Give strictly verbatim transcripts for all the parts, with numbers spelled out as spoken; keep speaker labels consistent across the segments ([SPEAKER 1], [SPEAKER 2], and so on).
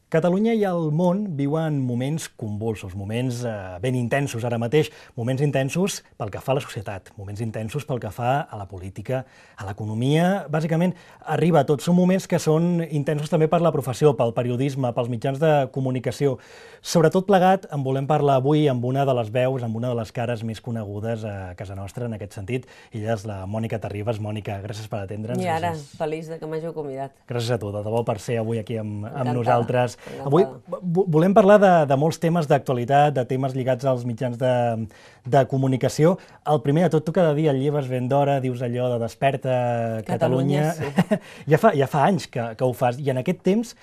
[SPEAKER 1] Catalunya i el món viuen moments convulsos, moments eh, ben intensos ara mateix, moments intensos pel que fa a la societat, moments intensos pel que fa a la política, a l'economia, bàsicament arriba a tot. Són moments que són intensos també per la professió, pel periodisme, pels mitjans de comunicació. Sobretot plegat en volem parlar avui amb una de les veus, amb una de les cares més conegudes a casa nostra en aquest sentit. Ella és la Mònica Terribas. Mònica, gràcies per atendre'ns.
[SPEAKER 2] I ara, feliç de que m'hàgiu convidat.
[SPEAKER 1] Gràcies a tu, de debò, per ser avui aquí amb, amb
[SPEAKER 2] Encantada.
[SPEAKER 1] nosaltres.
[SPEAKER 2] Encantada.
[SPEAKER 1] Avui volem parlar de, de molts temes d'actualitat, de temes lligats als mitjans de, de comunicació. El primer de tot, tu cada dia et lleves ben d'hora, dius allò de Desperta Catalunya.
[SPEAKER 2] Catalunya, sí.
[SPEAKER 1] ja, fa, ja fa anys que, que ho fas, i en aquest temps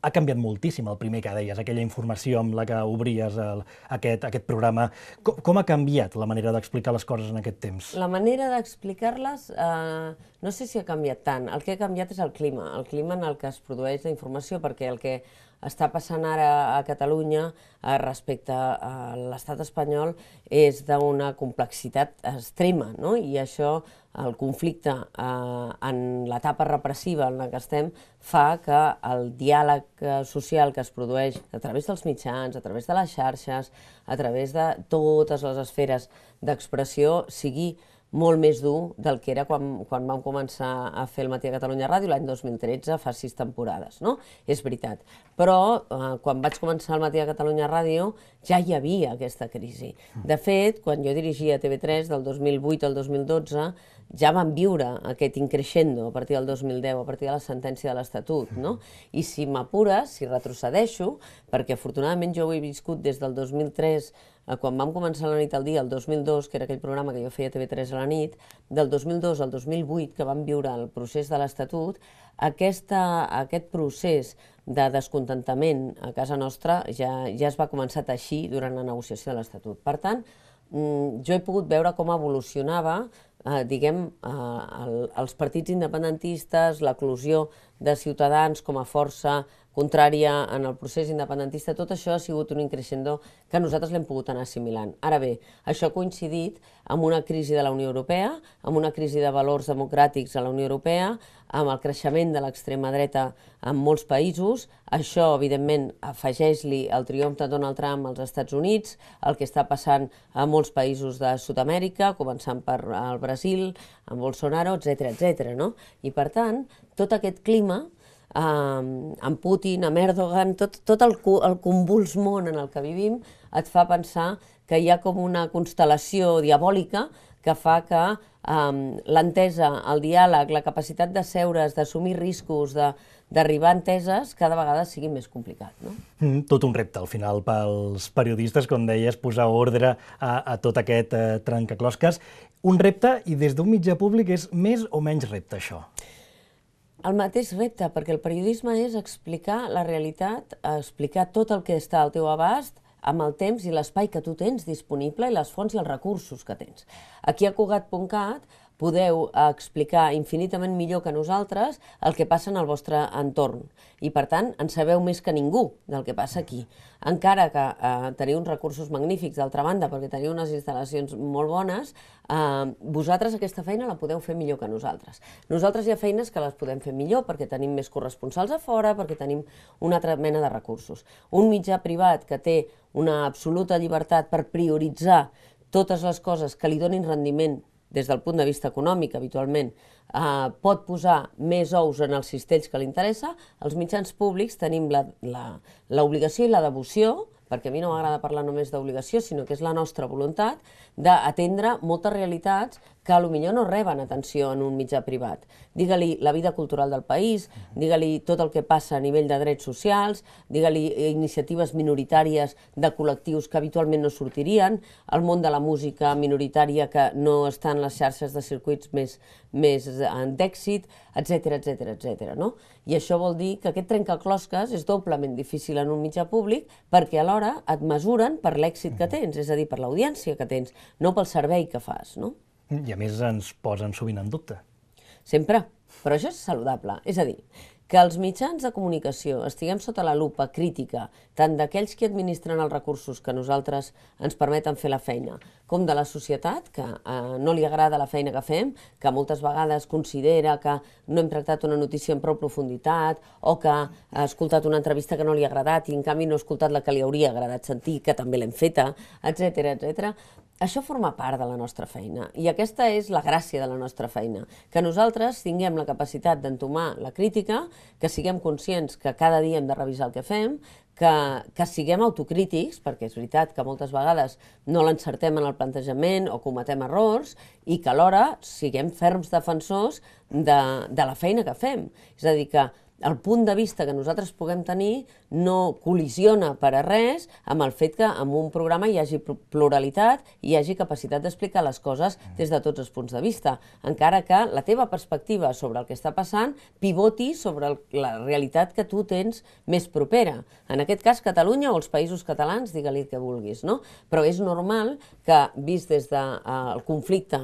[SPEAKER 1] ha canviat moltíssim el primer que deies, aquella informació amb la que obries el, aquest, aquest programa. Com, com ha canviat la manera d'explicar les coses en aquest temps?
[SPEAKER 2] La manera d'explicar-les eh, no sé si ha canviat tant. El que ha canviat és el clima, el clima en el que es produeix la informació, perquè el que està passant ara a Catalunya eh, respecte a l'estat espanyol és d'una complexitat extrema, no? I això, el conflicte eh, en l'etapa repressiva en la que estem, fa que el diàleg social que es produeix a través dels mitjans, a través de les xarxes, a través de totes les esferes d'expressió, sigui molt més dur del que era quan, quan vam començar a fer el Matí a Catalunya Ràdio l'any dos mil tretze, fa sis temporades, no? És veritat. Però eh, quan vaig començar el Matí a Catalunya Ràdio ja hi havia aquesta crisi. De fet, quan jo dirigia T V tres del dos mil vuit al dos mil dotze, ja vam viure aquest increixendo a partir del dos mil deu, a partir de la sentència de l'Estatut, no? I si m'apures, si retrocedeixo, perquè afortunadament jo ho he viscut des del dos mil tres, quan vam començar la nit al dia, el dos mil dos, que era aquell programa que jo feia a T V tres a la nit, del dos mil dos al dos mil vuit, que vam viure el procés de l'Estatut, aquesta, aquest procés de descontentament a casa nostra ja, ja es va començar a teixir durant la negociació de l'Estatut. Per tant, jo he pogut veure com evolucionava eh, diguem, eh, el, els partits independentistes, l'eclosió de Ciutadans com a força contrària en el procés independentista. Tot això ha sigut un increixendo que nosaltres l'hem pogut anar assimilant. Ara bé, això ha coincidit amb una crisi de la Unió Europea, amb una crisi de valors democràtics a la Unió Europea, amb el creixement de l'extrema dreta en molts països. Això, evidentment, afegeix-li el triomf de Donald Trump als Estats Units, el que està passant a molts països de Sud-amèrica, començant per el Brasil, amb Bolsonaro, etcètera, etcètera, no? I, per tant, tot aquest clima, eh, amb Putin, amb Erdogan, tot, tot el, el convuls món en el que vivim, et fa pensar que hi ha com una constel·lació diabòlica que fa que um, l'entesa, el diàleg, la capacitat de seure's, d'assumir riscos, d'arribar a enteses, cada vegada sigui més complicat, no?
[SPEAKER 1] Mm, tot un repte, al final, pels periodistes, com deies, posar ordre a, a tot aquest eh, trencaclosques. Un repte, i des d'un mitjà públic és més o menys repte, això?
[SPEAKER 2] El mateix repte, perquè el periodisme és explicar la realitat, explicar tot el que està al teu abast, amb el temps i l'espai que tu tens disponible i les fonts i els recursos que tens. Aquí a Cugat punt cat podeu explicar infinitament millor que nosaltres el que passa en el vostre entorn i, per tant, en sabeu més que ningú del que passa aquí. Encara que eh, teniu uns recursos magnífics, d'altra banda, perquè teniu unes instal·lacions molt bones, eh, vosaltres aquesta feina la podeu fer millor que nosaltres. Nosaltres hi ha feines que les podem fer millor perquè tenim més corresponsals a fora, perquè tenim una altra mena de recursos. Un mitjà privat que té una absoluta llibertat per prioritzar totes les coses que li donin rendiment des del punt de vista econòmic, habitualment, eh, pot posar més ous en els cistells que li interessa. Els mitjans públics tenim l'obligació i la devoció, perquè a mi no m'agrada parlar només d'obligació, sinó que és la nostra voluntat, d'atendre moltes realitats que potser no reben atenció en un mitjà privat. Digue-li la vida cultural del país, digue-li tot el que passa a nivell de drets socials, digue-li iniciatives minoritàries de col·lectius que habitualment no sortirien, el món de la música minoritària que no està en les xarxes de circuits més, més d'èxit, etcètera, etcètera, etcètera, no? I això vol dir que aquest trencaclosques és doblement difícil en un mitjà públic perquè alhora et mesuren per l'èxit que tens, és a dir, per l'audiència que tens, no pel servei que fas, no?
[SPEAKER 1] I a més ens posen sovint en dubte.
[SPEAKER 2] Sempre, però això és saludable. És a dir, que els mitjans de comunicació estiguem sota la lupa crítica, tant d'aquells que administren els recursos que nosaltres ens permeten fer la feina, com de la societat, que eh, no li agrada la feina que fem, que moltes vegades considera que no hem tractat una notícia en prou profunditat, o que ha escoltat una entrevista que no li ha agradat i en canvi no ha escoltat la que li hauria agradat sentir, que també l'hem feta, etcètera, etcètera. Això forma part de la nostra feina i aquesta és la gràcia de la nostra feina, que nosaltres tinguem la capacitat d'entomar la crítica, que siguem conscients que cada dia hem de revisar el que fem, que, que siguem autocrítics, perquè és veritat que moltes vegades no l'encertem en el plantejament o cometem errors i que alhora siguem ferms defensors de, de la feina que fem. És a dir, que el punt de vista que nosaltres puguem tenir no col·lisiona per a res amb el fet que en un programa hi hagi pluralitat i hi hagi capacitat d'explicar les coses des de tots els punts de vista, encara que la teva perspectiva sobre el que està passant pivoti sobre el, la realitat que tu tens més propera. En aquest cas, Catalunya o els països catalans, digue-li el que vulguis, no? Però és normal que, vist des del de, conflicte,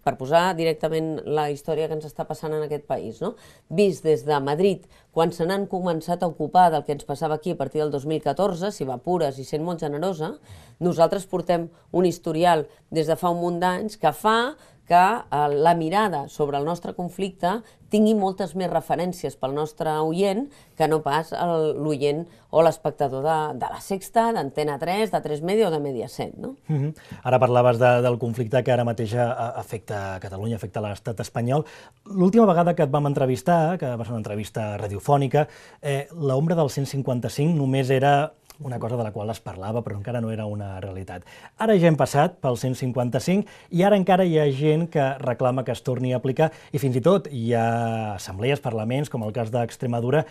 [SPEAKER 2] per posar directament la història que ens està passant en aquest país, no? Vist des de Madrid, quan se n'han començat a ocupar del que ens passava aquí a partir del dos mil catorze, si va pures i sent molt generosa, nosaltres portem un historial des de fa un munt d'anys que fa que eh, la mirada sobre el nostre conflicte tingui moltes més referències pel nostre oient que no pas l'oient o l'espectador de, de la Sexta, d'Antena tres, de tres Media o de Mediaset, no?
[SPEAKER 1] Mm-hmm. Ara parlaves de, del conflicte que ara mateix afecta Catalunya, afecta l'estat espanyol. L'última vegada que et vam entrevistar, que va ser una entrevista radiofònica, eh, l'ombra del cent cinquanta cinc només era una cosa de la qual es parlava, però encara no era una realitat. Ara ja hem passat pel cent cinquanta cinc i ara encara hi ha gent que reclama que es torni a aplicar i fins i tot hi ha assemblees, parlaments, com el cas d'Extremadura,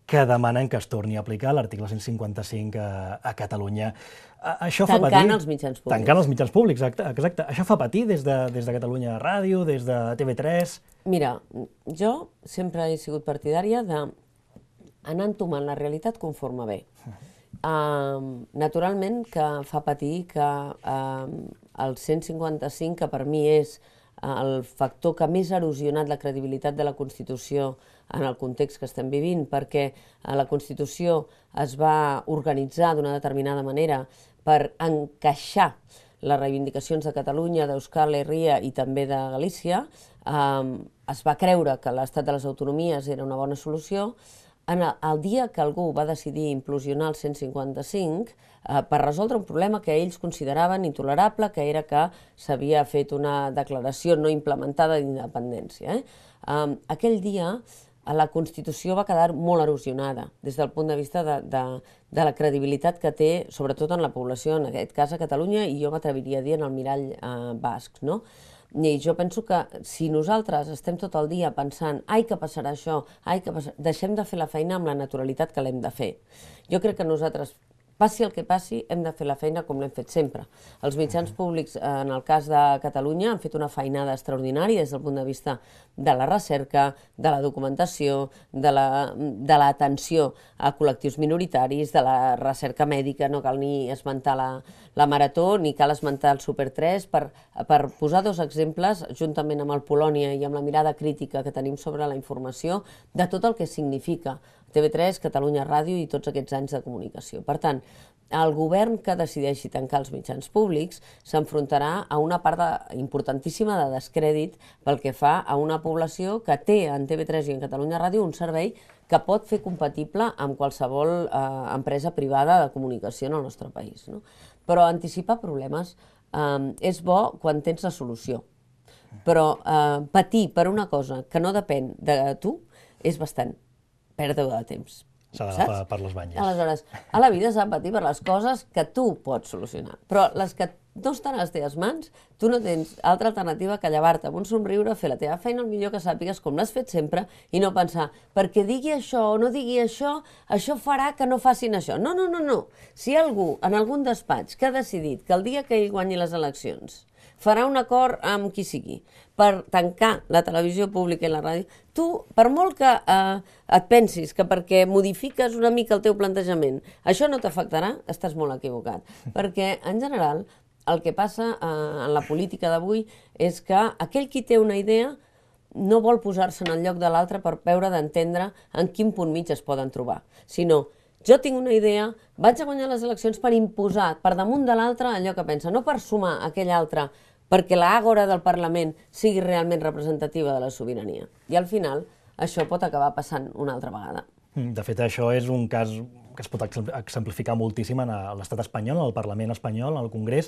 [SPEAKER 1] que demanen que es torni a aplicar l'article cent cinquanta cinc a, a Catalunya. Això fa patir...
[SPEAKER 2] Tancant els mitjans públics.
[SPEAKER 1] Tancant els mitjans públics, exacte. exacte. Això fa patir des de, des de Catalunya Ràdio, des de T V tres...
[SPEAKER 2] Mira, jo sempre he sigut partidària d'anar entomant la realitat conforme ve. Uh, naturalment que fa patir que uh, el cent cinquanta cinc, que per mi és uh, el factor que més ha erosionat la credibilitat de la Constitució en el context que estem vivint, perquè uh, la Constitució es va organitzar d'una determinada manera per encaixar les reivindicacions de Catalunya, d'Euskal Herria i també de Galícia, uh, es va creure que l'estat de les autonomies era una bona solució. En el, el dia que algú va decidir implosionar el cent cinquanta cinc eh, per resoldre un problema que ells consideraven intolerable, que era que s'havia fet una declaració no implementada d'independència. Eh? Um, aquell dia la Constitució va quedar molt erosionada des del punt de vista de, de, de la credibilitat que té, sobretot en la població, en aquest cas a Catalunya, i jo m'atreviria a dir en el mirall eh, basc, no? I jo penso que si nosaltres estem tot el dia pensant ai, que passarà això, ai, que passarà... deixem de fer la feina amb la naturalitat que l'hem de fer. Jo crec que nosaltres, passi el que passi, hem de fer la feina com l'hem fet sempre. Els mitjans públics, en el cas de Catalunya, han fet una feinada extraordinària des del punt de vista de la recerca, de la documentació, de l'atenció a col·lectius minoritaris, de la recerca mèdica, no cal ni esmentar la, la Marató, ni cal esmentar el Super tres, per, per posar dos exemples, juntament amb el Polònia i amb la mirada crítica que tenim sobre la informació, de tot el que significa T V tres, Catalunya Ràdio i tots aquests anys de comunicació. Per tant, el govern que decideixi tancar els mitjans públics s'enfrontarà a una part de, importantíssima de descrèdit pel que fa a una població que té en T V tres i en Catalunya Ràdio un servei que pot fer compatible amb qualsevol eh, empresa privada de comunicació en el nostre país, no? Però anticipar problemes eh, és bo quan tens la solució, però eh, patir per una cosa que no depèn de tu és bastant pèrdua de temps.
[SPEAKER 1] S'ha d'agafar per les banyes.
[SPEAKER 2] Aleshores, a la vida s'ha de patir per les coses que tu pots solucionar, però les que no estan a les teves mans, tu no tens altra alternativa que llevar-te amb un somriure, fer la teva feina el millor que sàpigues com l'has fet sempre i no pensar, perquè digui això o no digui això, això farà que no facin això. No, no, no, no. Si hi ha algú en algun despatx que ha decidit que el dia que ell guanyi les eleccions farà un acord amb qui sigui per tancar la televisió pública i la ràdio, tu, per molt que eh, et pensis que perquè modifiques una mica el teu plantejament, això no t'afectarà, estàs molt equivocat. Perquè, en general, el que passa eh, en la política d'avui és que aquell qui té una idea no vol posar-se en el lloc de l'altre per veure d'entendre en quin punt mig es poden trobar, sinó jo tinc una idea, vaig a guanyar les eleccions per imposar per damunt de l'altre allò que pensa, no per sumar aquell altre perquè l'àgora del Parlament sigui realment representativa de la sobirania. I al final això pot acabar passant una altra vegada.
[SPEAKER 1] De fet, això és un cas que es pot exemplificar moltíssim en l'estat espanyol, en el Parlament espanyol, en el Congrés.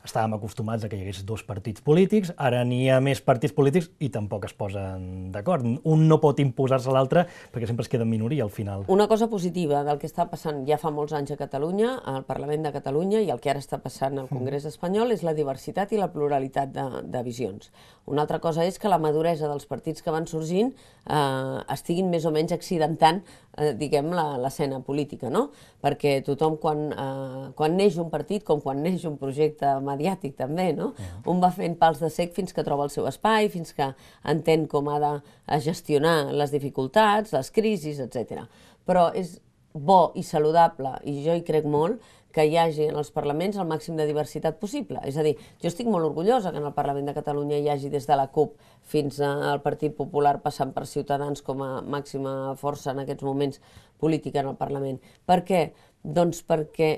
[SPEAKER 1] Estàvem acostumats a que hi hagués dos partits polítics, ara n'hi ha més partits polítics i tampoc es posen d'acord. Un no pot imposar-se a l'altre perquè sempre es queda en minoria al final.
[SPEAKER 2] Una cosa positiva del que està passant ja fa molts anys a Catalunya, al Parlament de Catalunya, i el que ara està passant al Congrés espanyol, és la diversitat i la pluralitat de, de visions. Una altra cosa és que la maduresa dels partits que van sorgint eh, estiguin més o menys accidentant eh, diguem, l'escena política, no? Perquè tothom, quan, eh, quan neix un partit, com quan neix un projecte mediàtic també, no? Un va fent pals de cec fins que troba el seu espai, fins que entén com ha de gestionar les dificultats, les crisis, etcètera. Però és bo i saludable, i jo hi crec molt, que hi hagi en els parlaments el màxim de diversitat possible. És a dir, jo estic molt orgullosa que en el Parlament de Catalunya hi hagi des de la CUP fins al Partit Popular, passant per Ciutadans com a màxima força en aquests moments política en el Parlament. Per què? Doncs perquè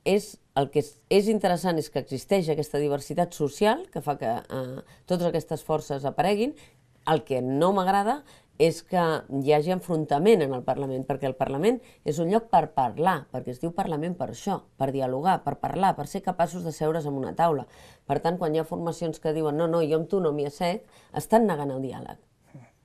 [SPEAKER 2] és, el que és, és interessant és que existeix aquesta diversitat social que fa que eh, totes aquestes forces apareguin. El que no m'agrada és que hi hagi enfrontament en el Parlament, perquè el Parlament és un lloc per parlar, perquè es diu Parlament per això, per dialogar, per parlar, per ser capaços de seure's en una taula. Per tant, quan hi ha formacions que diuen no, no, jo amb tu no m'hi assec, estan negant el diàleg.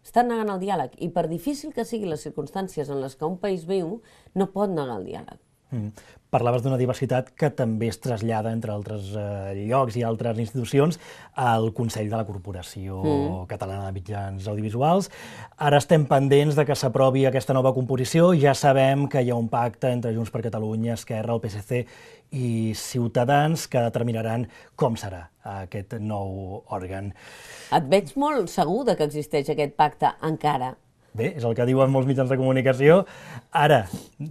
[SPEAKER 2] Estan negant el diàleg, i per difícil que siguin les circumstàncies en les que un país viu, no pot negar el diàleg.
[SPEAKER 1] Mm. Parlaves d'una diversitat que també es trasllada, entre altres eh, llocs i altres institucions, al Consell de la Corporació mm. Catalana de Mitjans Audiovisuals. Ara estem pendents de que s'aprovi aquesta nova composició. Ja sabem que hi ha un pacte entre Junts per Catalunya, Esquerra, el P S C i Ciutadans que determinaran com serà aquest nou òrgan.
[SPEAKER 2] Et veig molt segur de que existeix aquest pacte encara.
[SPEAKER 1] Bé, és el que diuen molts mitjans de comunicació. Ara,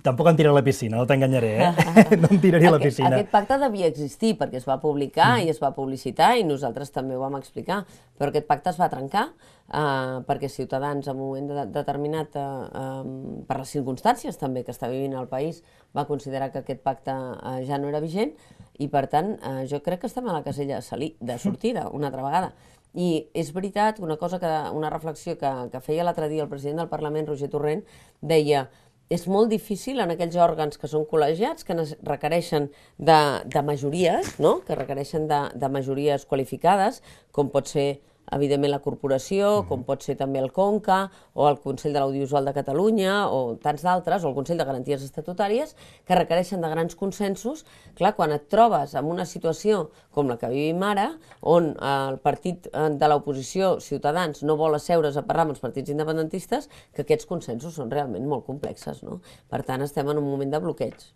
[SPEAKER 1] tampoc em tiraré a la piscina, no t'enganyaré, eh? No em tiraré a la piscina.
[SPEAKER 2] Aquest pacte devia existir perquè es va publicar i es va publicitar i nosaltres també ho vam explicar, però aquest pacte es va trencar eh, perquè Ciutadans, en un moment de, determinat, eh, eh, per les circumstàncies també que està vivint el país, va considerar que aquest pacte eh, ja no era vigent i, per tant, eh, jo crec que estem a la casella de sortida una altra vegada. I és veritat, una cosa que, una reflexió que, que feia l'altre dia el president del Parlament, Roger Torrent, deia és molt difícil en aquells òrgans que són col·legiats, que requereixen de, de majories, no? Que requereixen de, de majories qualificades, com pot ser evidentment la corporació, com pot ser també el Conca, o el Consell de l'Audiovisual de Catalunya, o tants d'altres, o el Consell de Garanties Estatutàries, que requereixen de grans consensos. Clar, quan et trobes en una situació com la que vivim ara, on el partit de l'oposició, Ciutadans, no vol asseure's a parlar amb els partits independentistes, que aquests consensos són realment molt complexes, no? Per tant, estem en un moment de bloqueig.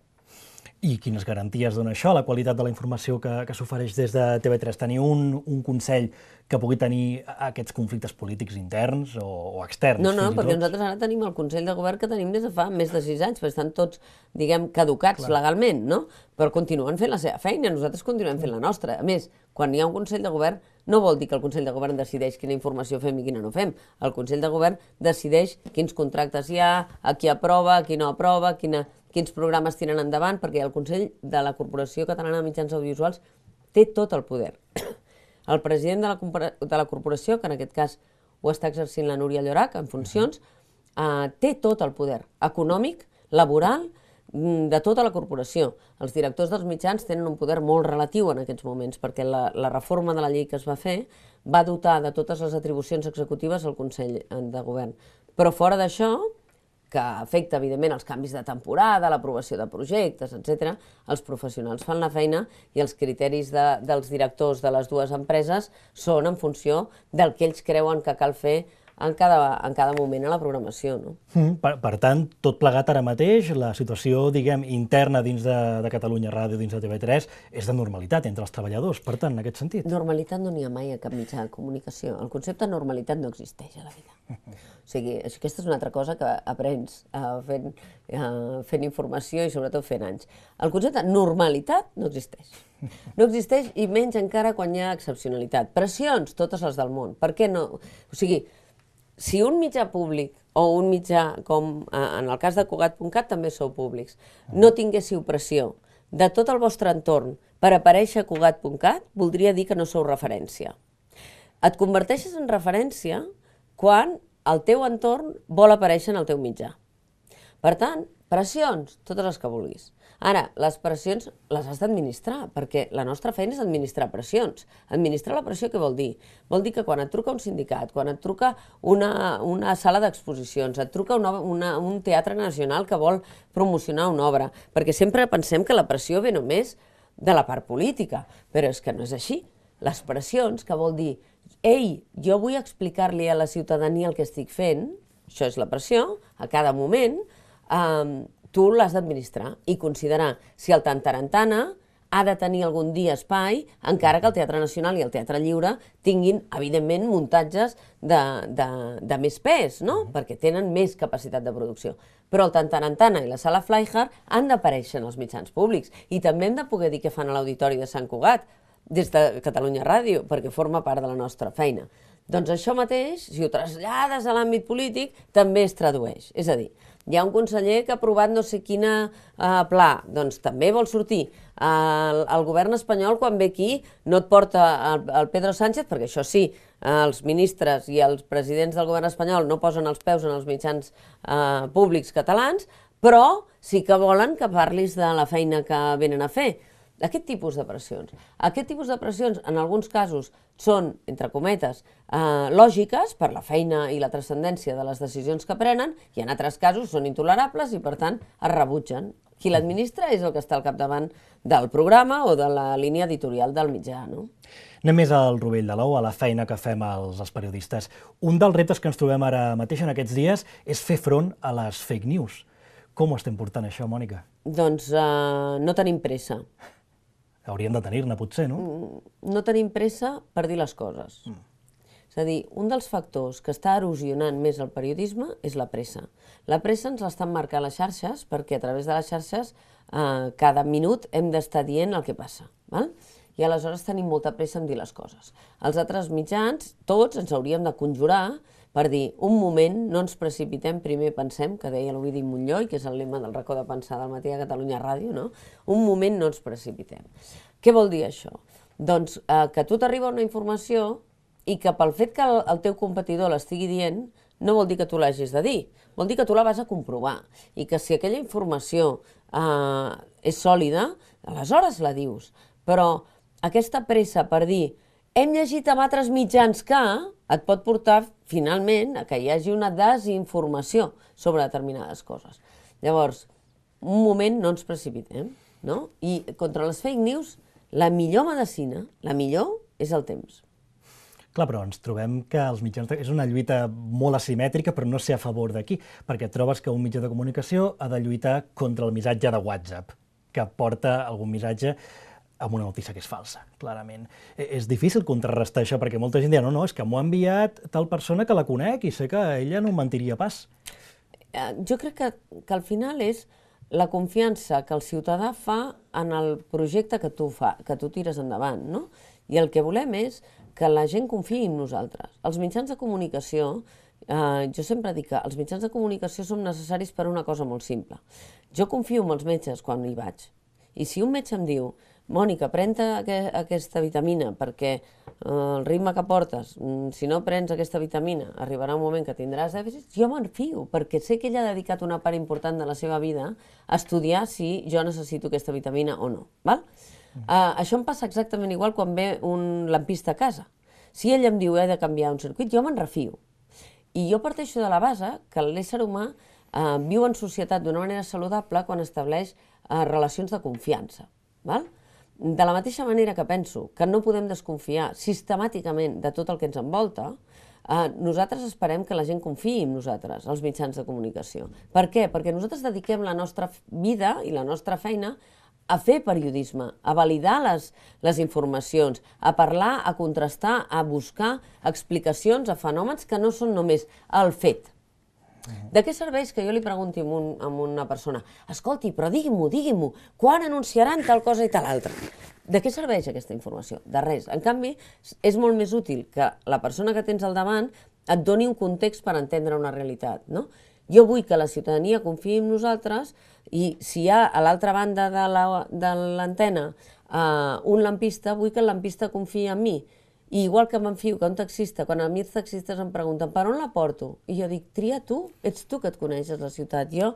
[SPEAKER 1] I quines garanties dona això, la qualitat de la informació que, que s'ofereix des de T V tres? Tenir un, un Consell que pugui tenir aquests conflictes polítics interns o, o externs?
[SPEAKER 2] No, no, perquè nosaltres ara tenim el Consell de Govern que tenim des de fa més de sis anys, perquè estan tots, diguem, caducats Clar. legalment, no? Però continuen fent la seva feina, nosaltres continuem fent la nostra. A més, quan hi ha un Consell de Govern, no vol dir que el Consell de Govern decideix quina informació fem i quina no fem. El Consell de Govern decideix quins contractes hi ha, a qui aprova, a qui no aprova, quina... quins programes tiren endavant, perquè el Consell de la Corporació Catalana de Mitjans Audiovisuals té tot el poder. El president de la, de la corporació, que en aquest cas ho està exercint la Núria Llorach, en funcions, eh, té tot el poder econòmic, laboral, de tota la corporació. Els directors dels mitjans tenen un poder molt relatiu en aquests moments, perquè la, la reforma de la llei que es va fer va dotar de totes les atribucions executives al Consell de Govern. Però fora d'això, que afecta, evidentment, els canvis de temporada, l'aprovació de projectes, etcètera, els professionals fan la feina i els criteris de, dels directors de les dues empreses són en funció del que ells creuen que cal fer en cada, en cada moment a la programació. No?
[SPEAKER 1] Mm, per, per tant, tot plegat ara mateix, la situació, diguem, interna dins de, de Catalunya Ràdio, dins de T V tres, és de normalitat entre els treballadors, per tant, en aquest sentit.
[SPEAKER 2] Normalitat no n'hi ha mai a cap mitjà de comunicació. El concepte de normalitat no existeix a la vida. O sigui, aquesta és una altra cosa que aprens uh, fent, uh, fent informació i sobretot fent anys. El concepte de normalitat no existeix. No existeix i menys encara quan hi ha excepcionalitat. Pressions, totes les del món. Per què no? O sigui, si un mitjà públic o un mitjà, com en el cas de Cugat punt cat també sou públics, no tinguéssiu pressió de tot el vostre entorn per aparèixer a Cugat punt cat, voldria dir que no sou referència. Et converteixes en referència quan el teu entorn vol aparèixer en el teu mitjà. Per tant, pressions, totes les que vulguis. Ara, les pressions les has d'administrar, perquè la nostra feina és administrar pressions. Administrar la pressió què vol dir? Vol dir que quan et truca un sindicat, quan et truca una, una sala d'exposicions, et truca una, una, un teatre nacional que vol promocionar una obra, perquè sempre pensem que la pressió ve només de la part política, però és que no és així. Les pressions, que vol dir, ei, jo vull explicar-li a la ciutadania el que estic fent, això és la pressió, a cada moment, eh, tu l'has d'administrar i considerar si el Tantarantana ha de tenir algun dia espai, encara que el Teatre Nacional i el Teatre Lliure tinguin, evidentment, muntatges de, de, de més pes, no? Perquè tenen més capacitat de producció. Però el Tantarantana i la Sala Flyhard han d'aparèixer en els mitjans públics i també hem de poder dir què fan a l'Auditori de Sant Cugat, des de Catalunya Ràdio, perquè forma part de la nostra feina. Doncs això mateix, si ho trasllades a l'àmbit polític, també es tradueix. És a dir, hi ha un conseller que ha aprovat no sé quina eh, pla, doncs també vol sortir. Eh, el, el govern espanyol, quan ve aquí, no et porta el, el Pedro Sánchez, perquè això sí, eh, els ministres i els presidents del govern espanyol no posen els peus en els mitjans eh, públics catalans, però sí que volen que parlis de la feina que venen a fer. Aquest tipus de pressions. Aquest tipus de pressions, en alguns casos, són, entre cometes, eh, lògiques per la feina i la transcendència de les decisions que prenen, i en altres casos són intolerables i, per tant, es rebutgen. Qui l'administra és el que està al capdavant del programa o de la línia editorial del mitjà, no?
[SPEAKER 1] Anem més al rovell de l'ou, a la feina que fem els, els periodistes. Un dels reptes que ens trobem ara mateix en aquests dies és fer front a les fake news. Com ho estem portant, això, Mònica?
[SPEAKER 2] Doncs eh, no tenim pressa.
[SPEAKER 1] Hauríem de tenir-ne, potser, no?
[SPEAKER 2] No tenim pressa per dir les coses. Mm. És a dir, un dels factors que està erosionant més el periodisme és la pressa. La pressa ens l'estan marcant les xarxes perquè a través de les xarxes eh, cada minut hem d'estar dient el que passa. Val? I aleshores tenim molta pressa en dir les coses. Els altres mitjans, tots, ens hauríem de conjurar per dir, un moment, no ens precipitem, primer pensem, que deia l'Ovidi Montllor, que és el lema del racó de pensar del matí a Catalunya Ràdio, no? Un moment no ens precipitem. Què vol dir això? Doncs eh, que a tu t'arriba una informació i que pel fet que el, el teu competidor l'estigui dient no vol dir que tu l'hagis de dir, vol dir que tu la vas a comprovar i que si aquella informació eh, és sòlida, aleshores la dius. Però aquesta pressa per dir hem llegit amb altres mitjans que et pot portar finalment a que hi hagi una desinformació sobre determinades coses. Llavors, un moment no ens precipitem, no? I contra les fake news, la millor medicina, la millor, és el temps.
[SPEAKER 1] Clar, però ens trobem que els mitjans de... és una lluita molt asimètrica, però no sé a favor de qui, perquè trobes que un mitjà de comunicació ha de lluitar contra el missatge de WhatsApp, que porta algun missatge amb una notícia que és falsa, clarament. És difícil contrarrestar això, perquè molta gent dirà no, no, és que m'ho ha enviat tal persona que la conec i sé que ella no em mentiria pas.
[SPEAKER 2] Jo crec que, que al final és la confiança que el ciutadà fa en el projecte que tu, fa, que tu tires endavant, no? I el que volem és que la gent confiï en nosaltres. Els mitjans de comunicació, eh, jo sempre dic que els mitjans de comunicació són necessaris per una cosa molt simple. Jo confio en els metges quan hi vaig. I si un metge em diu Mònica, pren-te aquesta vitamina perquè eh, el ritme que portes, si no prens aquesta vitamina, arribarà un moment que tindràs dèficit, jo me'n fio, perquè sé que ella ha dedicat una part important de la seva vida a estudiar si jo necessito aquesta vitamina o no. Val? Mm. Uh, això em passa exactament igual quan ve un lampista a casa. Si ell em diu he de canviar un circuit, jo me'n refio. I jo parteixo de la base que l'ésser humà uh, viu en societat d'una manera saludable quan estableix uh, relacions de confiança. Val? De la mateixa manera que penso que no podem desconfiar sistemàticament de tot el que ens envolta, eh, nosaltres esperem que la gent confiï en nosaltres, els mitjans de comunicació. Per què? Perquè nosaltres dediquem la nostra vida i la nostra feina a fer periodisme, a validar les, les informacions, a parlar, a contrastar, a buscar explicacions a fenòmens que no són només el fet. De què serveix que jo li pregunti a, un, a una persona escolti, però digui-m'ho, digui-m'ho, quan anunciaran tal cosa i tal altra? De què serveix aquesta informació? De res. En canvi, és molt més útil que la persona que tens al davant et doni un context per entendre una realitat, no? Jo vull que la ciutadania confiï en nosaltres i si hi ha a l'altra banda de l'antena uh, un lampista, vull que el lampista confiï en mi. I igual que m'enfio que un taxista, quan a mi els taxistes em pregunten per on la porto, i jo dic, tria tu, ets tu que et coneixes la ciutat, jo,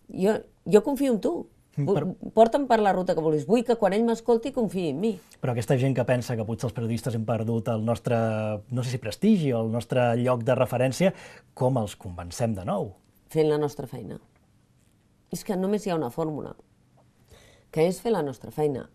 [SPEAKER 2] jo, jo confio en tu. Per... Porta'm per la ruta que vulguis. Vull que quan ell m'escolti confiï en mi.
[SPEAKER 1] Però aquesta gent que pensa que potser els periodistes hem perdut el nostre, no sé si prestigi o el nostre lloc de referència, com els convencem de nou?
[SPEAKER 2] Fent la nostra feina. És que només hi ha una fórmula, que és fer la nostra feina.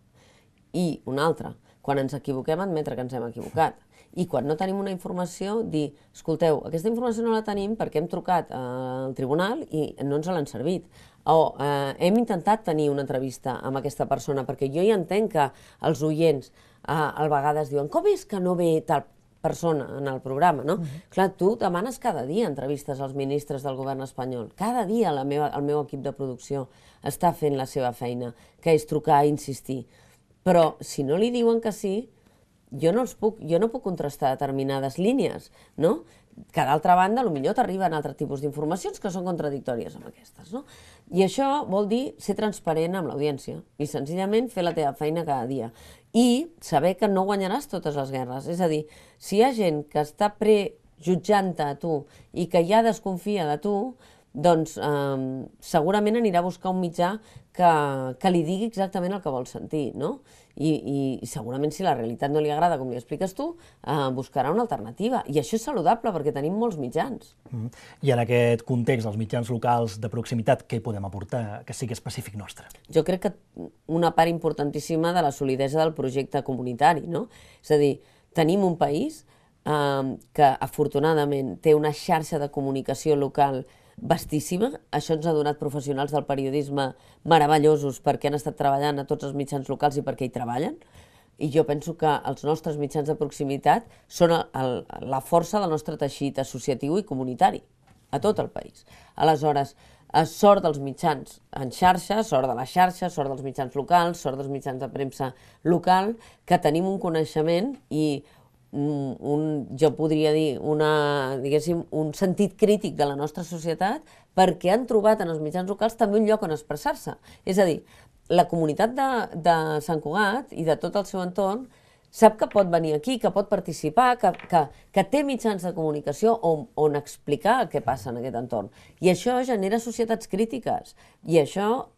[SPEAKER 2] I una altra, quan ens equivoquem, admetre que ens hem equivocat. I quan no tenim una informació, dir, escolteu, aquesta informació no la tenim perquè hem trucat al tribunal i no ens l'han servit. O eh, hem intentat tenir una entrevista amb aquesta persona, perquè jo ja entenc que els oients eh, a vegades diuen com és que no ve tal persona en el programa, no? Uh-huh. Clar, tu demanes cada dia entrevistes als ministres del govern espanyol. Cada dia la meva, el meu equip de producció està fent la seva feina, que és trucar i insistir. Però si no li diuen que sí, jo no, els puc, jo no puc contrastar determinades línies, no? Que d'altra banda, potser t'arriben altres tipus d'informacions que són contradictòries amb aquestes, no? I això vol dir ser transparent amb l'audiència i senzillament fer la teva feina cada dia. I saber que no guanyaràs totes les guerres. És a dir, si hi ha gent que està prejutjant-te a tu i que ja desconfia de tu, doncs eh, segurament anirà a buscar un mitjà que, que li digui exactament el que vol sentir, no? I, i, i segurament si la realitat no li agrada, com li expliques tu, eh, buscarà una alternativa. I això és saludable perquè tenim molts mitjans.
[SPEAKER 1] Mm. I en aquest context, els mitjans locals de proximitat, què hi podem aportar que sigui específic nostre?
[SPEAKER 2] Jo crec que una part importantíssima de la solidesa del projecte comunitari, no? És a dir, tenim un país eh, que afortunadament té una xarxa de comunicació local vastíssima. Això ens ha donat professionals del periodisme meravellosos perquè han estat treballant a tots els mitjans locals i perquè hi treballen. I jo penso que els nostres mitjans de proximitat són el, el, la força del nostre teixit associatiu i comunitari a tot el país. Aleshores, sort dels mitjans en xarxa, sort de la xarxa, sort dels mitjans locals, sort dels mitjans de premsa local, que tenim un coneixement i Un, jo podria dir una, diguéssim, un sentit crític de la nostra societat perquè han trobat en els mitjans locals també un lloc on expressar-se. És a dir, la comunitat de, de Sant Cugat i de tot el seu entorn sap que pot venir aquí, que pot participar, que, que, que té mitjans de comunicació on, on explicar el que passa en aquest entorn. I això genera societats crítiques i això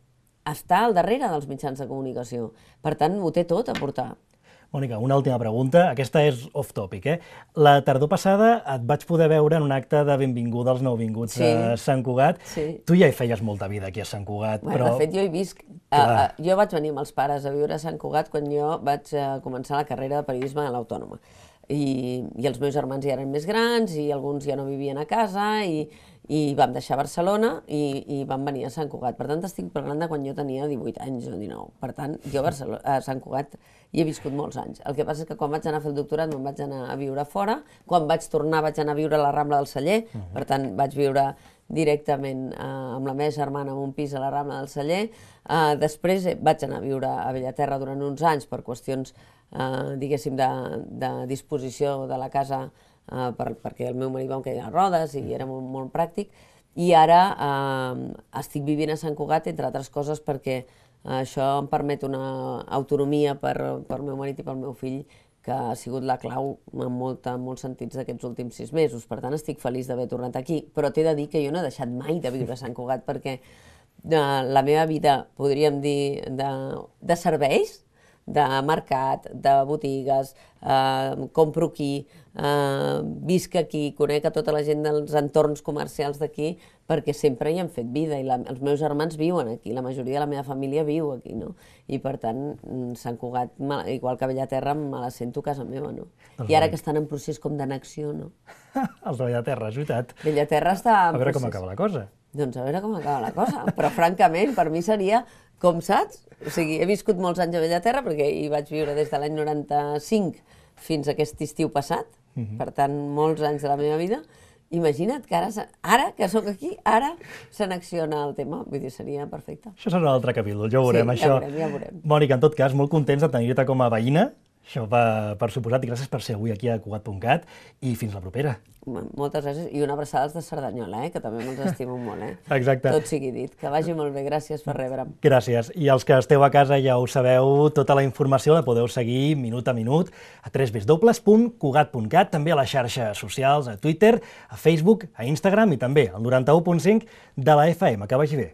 [SPEAKER 2] està al darrere dels mitjans de comunicació. Per tant, ho té tot a portar.
[SPEAKER 1] Mònica, una última pregunta. Aquesta és off-topic, eh? La tardor passada et vaig poder veure en un acte de benvinguda als nouvinguts sí. a Sant Cugat. Sí. Tu ja hi feies molta vida aquí a Sant Cugat,
[SPEAKER 2] bueno,
[SPEAKER 1] però...
[SPEAKER 2] De fet, jo hi visc. Uh, uh, jo vaig venir amb els pares a viure a Sant Cugat quan jo vaig uh, començar la carrera de periodisme a l'Autònoma. I, I els meus germans ja eren més grans i alguns ja no vivien a casa i, i vam deixar Barcelona i, i vam venir a Sant Cugat. Per tant, estic parlant de quan jo tenia divuit anys o dinou. Per tant, jo a, Barcelona, a Sant Cugat hi he viscut molts anys. El que passa és que quan vaig anar a fer el doctorat me'n vaig anar a viure fora. Quan vaig tornar vaig anar a viure a la Rambla del Celler. Uh-huh. Per tant, vaig viure directament eh, amb la meva germana en un pis a la Rambla del Celler. Eh, després vaig anar a viure a Bellaterra durant uns anys per qüestions, eh, diguéssim, de, de disposició de la casa, eh, per, perquè el meu marit va amb cadira de rodes i era molt, molt pràctic. I ara eh, estic vivint a Sant Cugat, entre altres coses, perquè això em permet una autonomia per, per el meu marit i pel meu fill que ha sigut la clau en, molta, en molts sentits d'aquests últims sis mesos. Per tant, estic feliç d'haver tornat aquí. Però t'he de dir que jo no he deixat mai de viure a Sant Cugat perquè de la meva vida, podríem dir, de, de serveis, de mercat, de botigues, eh, compro aquí, eh, visc aquí, conec a tota la gent dels entorns comercials d'aquí, perquè sempre hi han fet vida i la, els meus germans viuen aquí, la majoria de la meva família viu aquí, no? I per tant, Sant Cugat, igual que Bellaterra, me la sento a casa meva, no? Doncs I ara que estan en procés com d'annexió, no?
[SPEAKER 1] Els de Bellaterra, és veritat.
[SPEAKER 2] Bellaterra està en
[SPEAKER 1] procés. A veure
[SPEAKER 2] procés.
[SPEAKER 1] com acaba la cosa.
[SPEAKER 2] Doncs a veure com acaba la cosa, però francament, per mi seria, com saps? O sigui, he viscut molts anys a Bellaterra perquè hi vaig viure des de l'any noranta-cinc fins a aquest estiu passat, uh-huh. Per tant, molts anys de la meva vida. Imagina't que ara, ara que sóc aquí, ara s'annexiona el tema, vull dir, seria perfecte.
[SPEAKER 1] Això serà un altre capítol, ja ho veurem,
[SPEAKER 2] sí,
[SPEAKER 1] això.
[SPEAKER 2] Ja veurem, ja veurem.
[SPEAKER 1] Mònica, en tot cas, molt contents de tenir-te com a veïna Això per, per suposat, i gràcies per ser avui aquí a Cugat punt cat i fins la propera.
[SPEAKER 2] Moltes gràcies, i una abraçada als de Cerdanyola, eh? Que també me'ls estimo molt. Eh?
[SPEAKER 1] Exacte.
[SPEAKER 2] Tot sigui dit. Que vagi molt bé, gràcies per rebre'm.
[SPEAKER 1] Gràcies. I els que esteu a casa ja ho sabeu, tota la informació la podeu seguir minut a minut a w w w punt cugat punt cat, també a les xarxes socials, a Twitter, a Facebook, a Instagram i també al noranta u punt cinc de la F M. Que vagi bé.